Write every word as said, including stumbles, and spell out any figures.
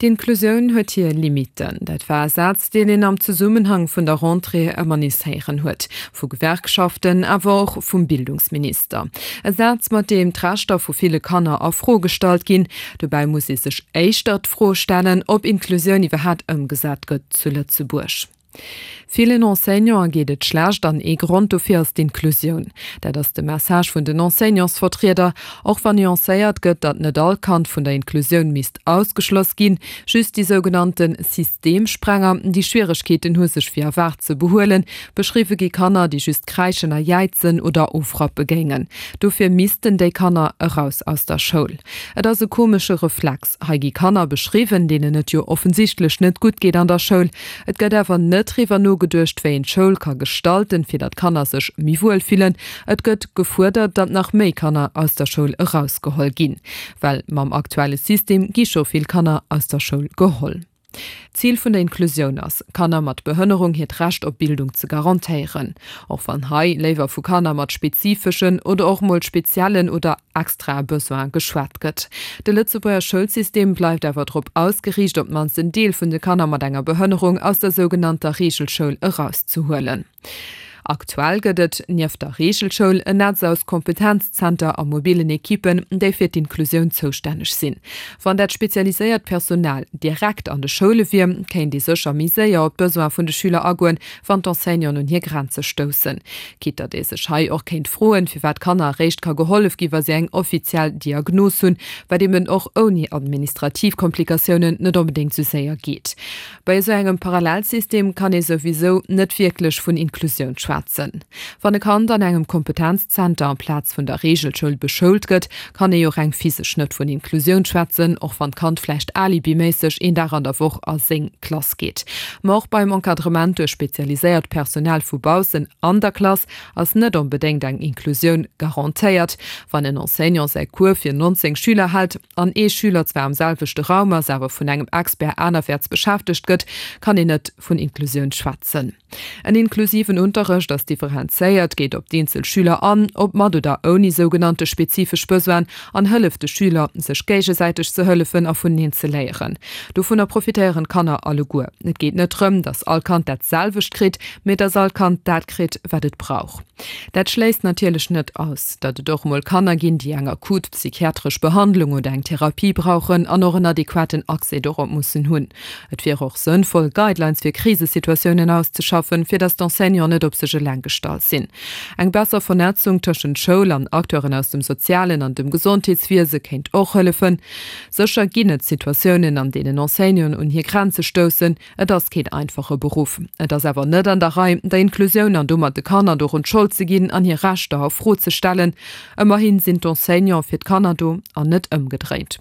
D'Inklusioun huet hir Limitten. Dat war e Saz, deen een am Zesummenhang vun der Rentrée ëmmer nees héieren huet, vu Gewerkschaften, awer och vum Bildungsminister. E Saz, mat deem d'Rechter vu ville Kanner a Fro gestallt ginn. Dobäi muss ee sech éischter d'Fro stellen, ob Inklusioun iwwerhaat ëmgesat gëtt zu Lëtzebuerg. Villen Enseignanten geet et schlecht an ee Grond dofir ass d'Inklusioun. Dat ass de Message vun den Enseignantsvertrieder, och wann nuancéiert gëtt, datt net all Kand vun der Inklusioun misst ausgeschloss ginn, just déi sougenannte Systemsprenger, déi Schwieregkeeten hu sech wéi erwaart ze behuelen. Beschriwwe gi Kanner, déi just kräischen a jäizen oder ofrappe géingen. Dofir missten déi Kanner eraus aus der Schoul. Et ass e komesche Reflex. Hei gi Kanner beschriwwen, deenen et jo offensichtlech net gutt geet an der Schoul. Et gëtt awer net driwwer nogeduecht, wéi een d'Schoul ka gestalten, fir datt d'Kanner sech méi wuel fillen. Et gëtt gefuerdert, datt nach méi Kanner aus der Schoul erausgeholl ginn. Well mam aktuelle System gi scho vill Kanner aus der Schoul geholl. D'Zil vun der Inklusioun ass, Kanner mat Behënnerung hiert Recht op Bildung ze garantéieren. Och wann hei léiwer vu Kanner mat spezifeschen oder och mol speziellen oder extrae Besoine geschwat gëtt. De Lëtzebuerger Schoulsystem bleift awer drop ausgeriicht, op d'mannst en Deel vun de Kanner mat enger Behënnerung aus der sougenannter Reegelschoul erauszehuelen. Aktuell gëtt et, nieft der Reegelschoul, en Netz aus Kompetenzzenter a mobillen Ekippen, déi fir d'Inklusioun zoustänneg sinn. Wann dat spezialiséiert Personal direkt an de Schoule wier, kéint ee sécher méi séier op d'Besoine vun de Schüler agoen, wann d'Enseignanten un hir Grenze stoussen. Quitte datt ee sech hei och kéint froen, firwat Kanner eréischt ka gehollef gi wa si eng offiziell Diagnos hunn, wat eben och ouni administrativ Komplikatiounen net onbedéngt sou séier geet. Bei esou engem Parallelsystem kann ee souwisou net wierklech vun Inklusioun schwätzen. Wann e Kand an engem Kompetenzzenter amplaz vun der Reegelschoul beschoult gëtt, kann ee jo reng physesch net vun Inklusioun schwätzen, och wann d'Kand vläicht alibiméisseg een Dag an der Woch a seng Klass geet. Ma och beim Encadrement duerch spezialiséiert Personal vu baussen an der Klass ass net onbedéngt eng Inklusioun garantéiert. Wann en Enseignant säi Cours fir nonzéng Schüler hält an ee Schüler zwar am selwechte Raum ass, awer vun engem Expert anerwäerts beschäftegt gëtt, kann een net vun Inklusioun schwätzen. En inklusiven Unterrecht ass differenzéiert, geet op d'eenzel Schüler an, ob mat oder ouni sougenannte spezifesch Besoinen, an hëlleft de Schüler, sech géigesäiteg ze hëllefen a vuneneen ze léieren. Dovunner profitéieren d'Kanner alleguer. Et geet net drëm, datt all Kand dat selwecht kritt, mee datt all Kand dat kritt, wat et brauch. Dat schléisst natierlech net aus, datt et och mol Kanner ginn, déi eng akut psychiatresch Behandlung oder eng Therapie brauchen an och en adequaten Accès dorop mussen hunn. Et wier och sënnvoll, Guidelines fir Krisesituatiounen auszeschaffen, fir datt d'Enseignanten net op sech eleng gestallt sinn. Eng besser Vernetzung tëschent Schoul an Acteuren aus dem sozialen an dem Gesondheetswiese kéint och hëllefen. Sécher ginn et Situatiounen, an deenen Enseignanten un hir Grenze stoussen. Et ass keen einfache Beruff. Et ass awer net an der Rei, der Inklusioun an domat de Kanner dorun d'Schold ze ginn an hir Rechter a Fro ze stellen. Ëmmerhi sinn d'Enseignante fir d'Kanner do an net ëmgedréint.